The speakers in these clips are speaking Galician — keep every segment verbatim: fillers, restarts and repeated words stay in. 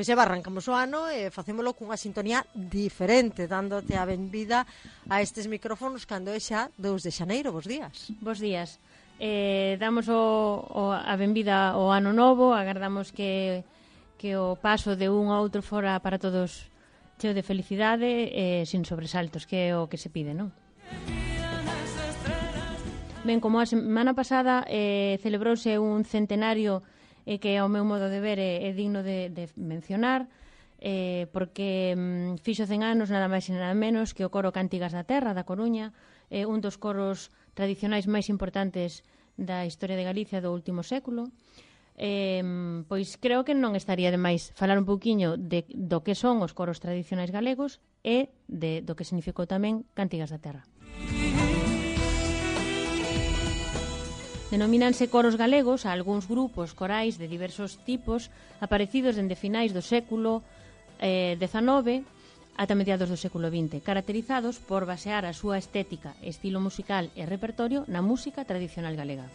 Pois eva, arrancamos o ano e facémolo cunha sintonía diferente, dándote a benvida a estes micrófonos cando é xa dous de xaneiro. Bos días. Bos días. Eh, damos o, o, a benvida ao ano novo, agardamos que, que o paso de un a outro fora para todos cheo de felicidade e eh, sin sobresaltos, que é o que se pide, non? Ben, como a semana pasada eh, celebrouse un centenario eh, que ao meu modo de ver é, é digno de, de mencionar, eh, porque mm, fixo cen anos nada máis e nada menos que o coro Cántigas da Terra da Coruña, eh, un dos coros tradicionais máis importantes da historia de Galicia do último século. Eh, pois creo que non estaría de máis falar un pouquiño de, do que son os coros tradicionais galegos e de, do que significou tamén Cántigas da Terra. Denomínanse coros galegos a algúns grupos corais de diversos tipos aparecidos dende finais do século eh, dezanove ata mediados do século vinte, caracterizados por basear a súa estética, estilo musical e repertorio na música tradicional galega.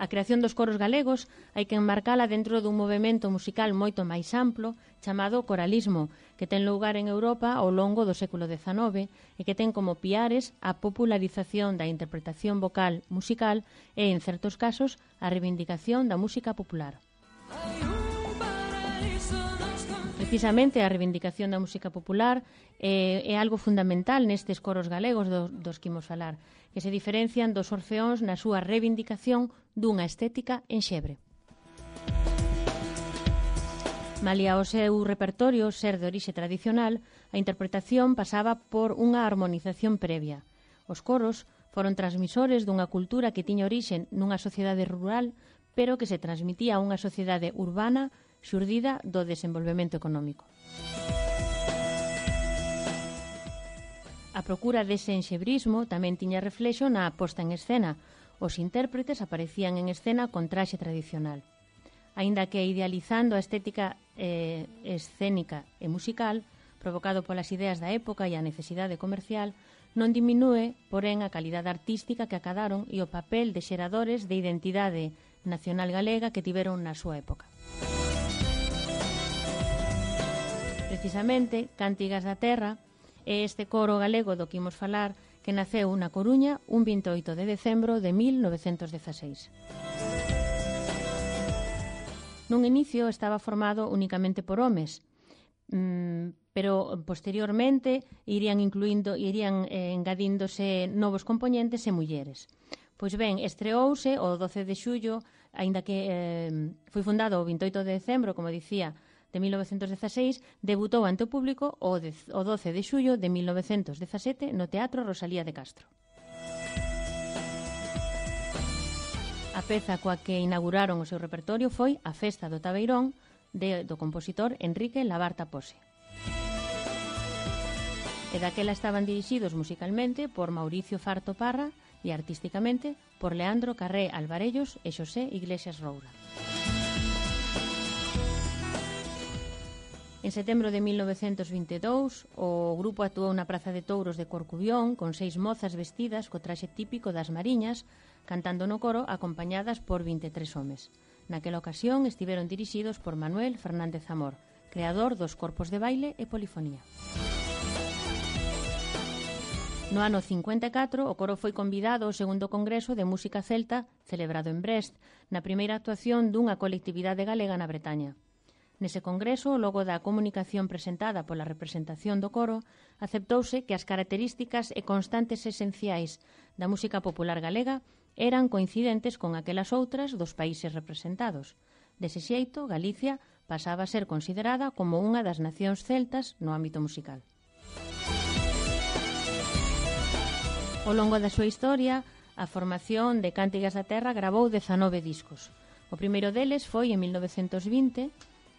A creación dos coros galegos hai que enmarcala dentro dun movemento musical moito máis amplo chamado coralismo, que ten lugar en Europa ao longo do século dezanove e que ten como piares a popularización da interpretación vocal musical e, en certos casos, a reivindicación da música popular. Precisamente a reivindicación da música popular é, é algo fundamental nestes coros galegos do, dos que imos falar, que se diferencian dos orfeóns na súa reivindicación dunha estética enxebre. Malia o seu repertorio ser de orixe tradicional, a interpretación pasaba por unha armonización previa. Os coros foron transmisores dunha cultura que tiña orixe nunha sociedade rural, pero que se transmitía a unha sociedade urbana xurdida do desenvolvemento económico. A procura dese enxebrismo tamén tiña reflexo na posta en escena. Os intérpretes aparecían en escena con traxe tradicional. Aínda que idealizando a estética eh, escénica e musical, provocado polas ideas da época e a necesidade comercial, non diminúe, porén, a calidade artística que acadaron e o papel de xeradores de identidade nacional galega que tiveron na súa época. Precisamente, Cántigas da Terra é este coro galego do que imos falar, que naceu na Coruña un vinte e oito de decembro de mil novecentos dezaseis. Nun inicio estaba formado únicamente por homes, pero posteriormente irían incluindo, irían eh, engadíndose novos componentes e mulleres. Pois ben, estreouse o doce de xullo, aínda que eh, foi fundado o vinte e oito de decembro, como dicía, de mil novecentos dezaseis, debutou ante o público o, de, o doce de xullo de mil novecentos dezasete no Teatro Rosalía de Castro. A peza coa que inauguraron o seu repertorio foi A Festa do Tabeirón, de, do compositor Enrique Labarta Pose. E daquela estaban dirixidos musicalmente por Mauricio Farto Parra e artísticamente por Leandro Carré Alvarellos e Xosé Iglesias Roura. En setembro de mil novecentos vinte e dous, o grupo actuou na Praza de Touros de Corcubión con seis mozas vestidas co traxe típico das mariñas, cantando no coro acompañadas por vinte e tres homes. Naquela ocasión estiveron dirixidos por Manuel Fernández Amor, creador dos corpos de baile e polifonía. No ano cincuenta e catro, o coro foi convidado ao segundo congreso de música celta celebrado en Brest, na primeira actuación dunha colectividade galega na Bretaña. Nese congreso, logo da comunicación presentada pola representación do coro, aceptouse que as características e constantes esenciais da música popular galega eran coincidentes con aquelas outras dos países representados. Dese xeito, Galicia pasaba a ser considerada como unha das nacións celtas no ámbito musical. Ao longo da súa historia, a formación de Cántigas da Terra gravou dezanove discos. O primeiro deles foi en mil novecentos vinte,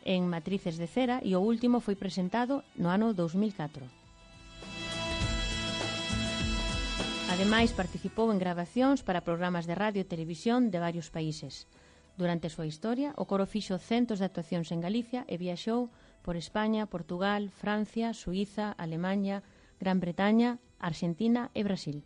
en Matrices de Cera, e o último foi presentado no ano dous mil catro. Ademais, participou en gravacións para programas de radio e televisión de varios países. Durante a súa historia, o coro fixo centos de actuacións en Galicia e viaxou por España, Portugal, Francia, Suíza, Alemaña, Gran Bretaña, Argentina e Brasil.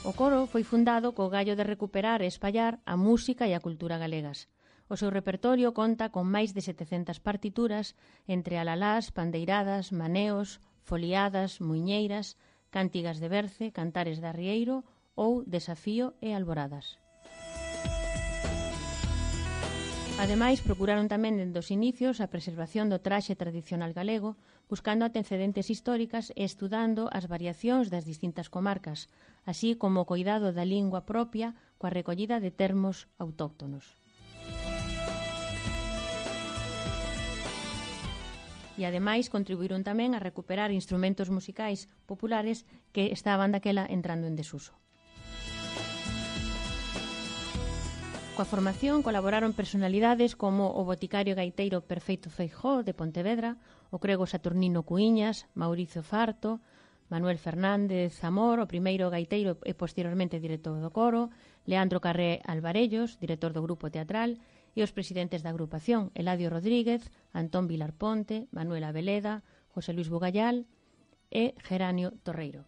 O O coro foi fundado co gallo de recuperar e espallar a música e a cultura galegas. O seu repertorio conta con máis de setecentas partituras entre alalás, pandeiradas, maneos, foliadas, muiñeiras, cántigas de berce, cantares de arrieiro ou desafío e alboradas. Ademais, procuraron tamén dende os inicios a preservación do traxe tradicional galego, buscando antecedentes históricas e estudando as variacións das distintas comarcas, así como o coidado da lingua propia coa recollida de termos autóctonos. E ademais contribuíron tamén a recuperar instrumentos musicais populares que estaban daquela entrando en desuso. Coa formación colaboraron personalidades como o boticario gaiteiro Perfeito Feijóo de Pontevedra, o crego Saturnino Cuíñas, Mauricio Farto, Manuel Fernández Zamor, o primeiro gaiteiro e posteriormente director do coro, Leandro Carré Alvarellos, director do grupo teatral, e os presidentes da agrupación, Eladio Rodríguez, Antón Vilar Ponte, Manuel Abeleda, José Luis Bugallal e Geranio Torreiro.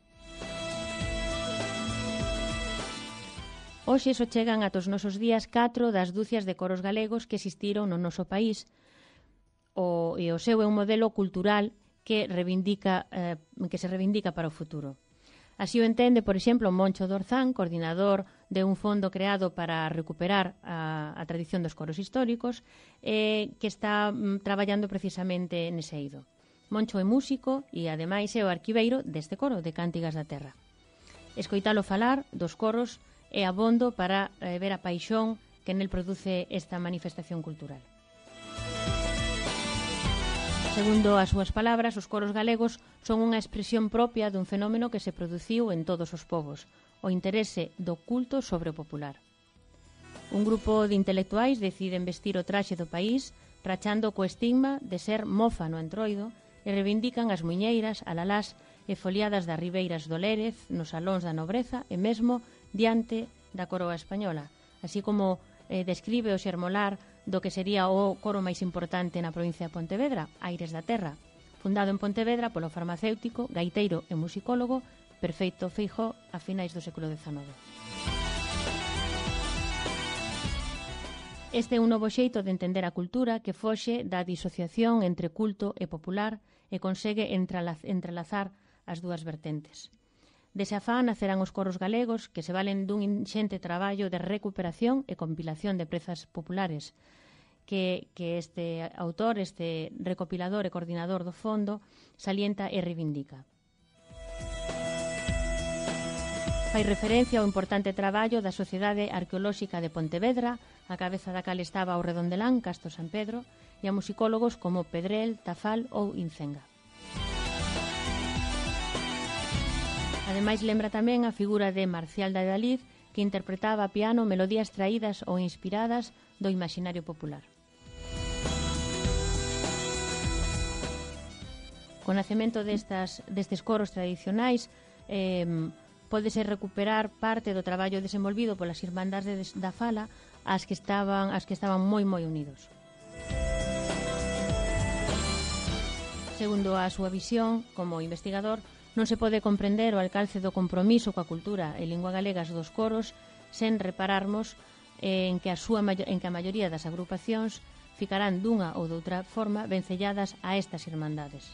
Hoxe só chegan ata os nosos días catro das dúcias de coros galegos que existiron no noso país o, e o seu é un modelo cultural que, reivindica, eh, que se reivindica para o futuro. Así o entende, por exemplo, Moncho Dorzán, coordinador de un fondo creado para recuperar a, a tradición dos coros históricos, eh, que está mm, traballando precisamente nese eido. Moncho é músico e, ademais, é o arquiveiro deste coro de Cántigas da Terra. Escoitalo falar dos coros é abondo para eh, ver a paixón que nel produce esta manifestación cultural. Segundo as súas palabras, os coros galegos son unha expresión propia dun fenómeno que se produciu en todos os povos, o interese do culto sobre o popular. Un grupo de intelectuais deciden vestir o traxe do país, rachando co estigma de ser mofa no entroido, e reivindican as muiñeiras, alalás e foliadas das ribeiras do Lérez, nos salóns da nobreza e mesmo diante da coroa española, así como eh, describe o xermolar do que sería o coro máis importante na provincia de Pontevedra, Aires da Terra, fundado en Pontevedra polo farmacéutico, gaiteiro e musicólogo Perfeito Feijóo a finais do século dezanove. Este é un novo xeito de entender a cultura que foxe da disociación entre culto e popular e consegue entrelazar as dúas vertentes. Dese afán nacerán os coros galegos que se valen dun inxente traballo de recuperación e compilación de prezas populares que, que este autor, este recopilador e coordinador do fondo salienta e reivindica. Fai referencia ao importante traballo da Sociedade Arqueolóxica de Pontevedra, a cabeza da cal estaba o Redondelán, Casto San Pedro, e a musicólogos como Pedrel, Tafal ou Incenga. Ademais, lembra tamén a figura de Marcial de Adalid, que interpretaba a piano melodías traídas ou inspiradas do imaginario popular. Co nacemento destas, destes coros tradicionais, eh, pódese recuperar parte do traballo desenvolvido polas Irmandades da Fala, as que estaban, as que estaban moi moi unidos. Segundo a súa visión, como investigador, non se pode comprender o alcance do compromiso coa cultura e lingua galegas dos coros sen repararmos en que a, súa, en que a maioría das agrupacións ficarán dunha ou doutra forma vencelladas a estas irmandades.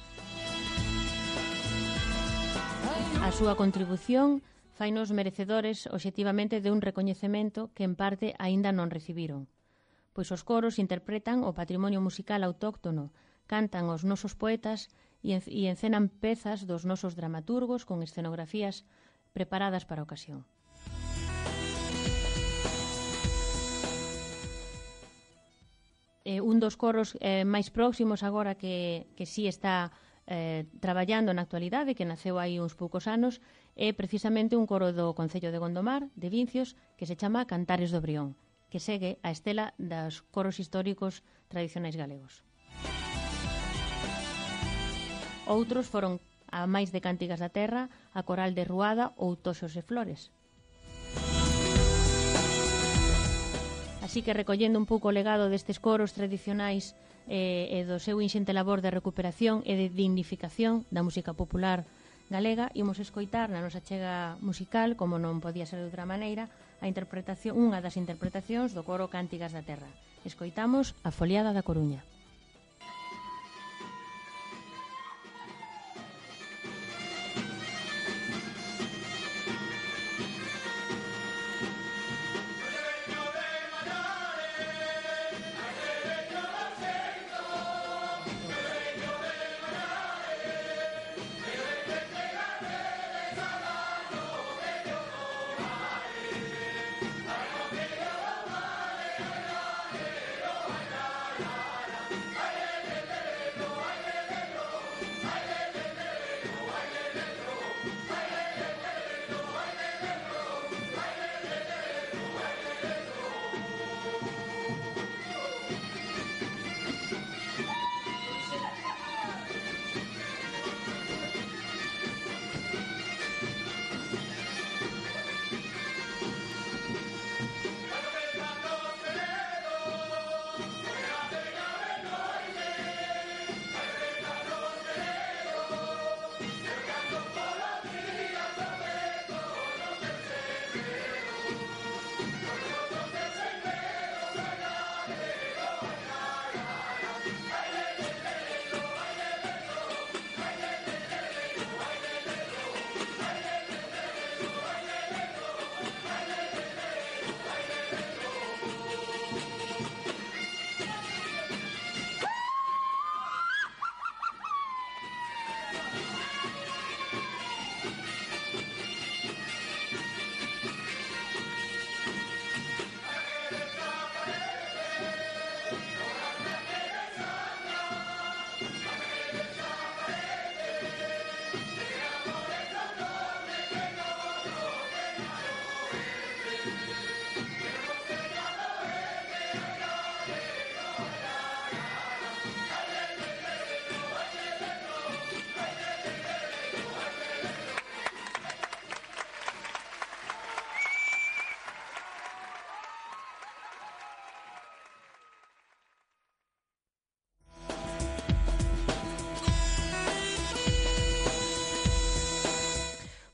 A súa contribución fainos merecedores obxectivamente de un recoñecemento que en parte aínda non recibiron, pois os coros interpretan o patrimonio musical autóctono, cantan os nosos poetas e encenan pezas dos nosos dramaturgos con escenografías preparadas para a ocasión. Eh, un dos coros eh, máis próximos agora que, que sí está eh, traballando na actualidade, que naceu hai uns poucos anos, é precisamente un coro do Concello de Gondomar, de Vincios, que se chama Cantares do Brión, que segue a estela dos coros históricos tradicionais galegos. Outros foron a máis de Cántigas da Terra, a Coral de Ruada ou Toxos e Flores. Así que, recollendo un pouco o legado destes coros tradicionais eh, e do seu inxente labor de recuperación e de dignificación da música popular galega, imos escoitar na nosa chega musical, como non podía ser de outra maneira, a interpretación, unha das interpretacións do coro Cántigas da Terra. Escoitamos a Foliada da Coruña.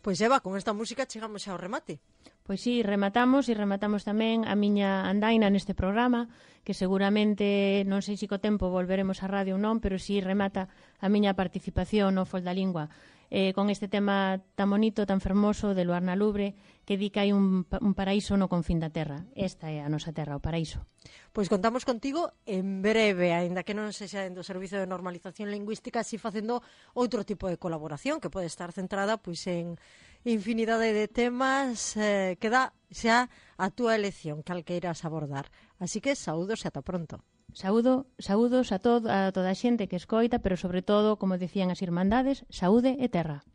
Pois Eva, con esta música chegamos ao remate. Pois sí, rematamos e rematamos tamén a miña andaina neste programa, que seguramente, non sei se co tempo volveremos á radio ou non, pero sí remata a miña participación no Foldalingua, eh, con este tema tan bonito, tan fermoso de Luarna Lubre, que di que hai un, un paraíso no confín da terra. Esta é a nosa terra, o paraíso. Pois contamos contigo en breve, aínda que non sexa do Servizo de Normalización Lingüística, así facendo outro tipo de colaboración que pode estar centrada pois en infinidade de temas, eh, que dá xa a túa elección, cal queiras abordar. Así que saúdos e ata pronto. Saúdo, saúdos a, todo, a toda a xente que escoita, pero sobre todo, como decían as irmandades, saúde e terra.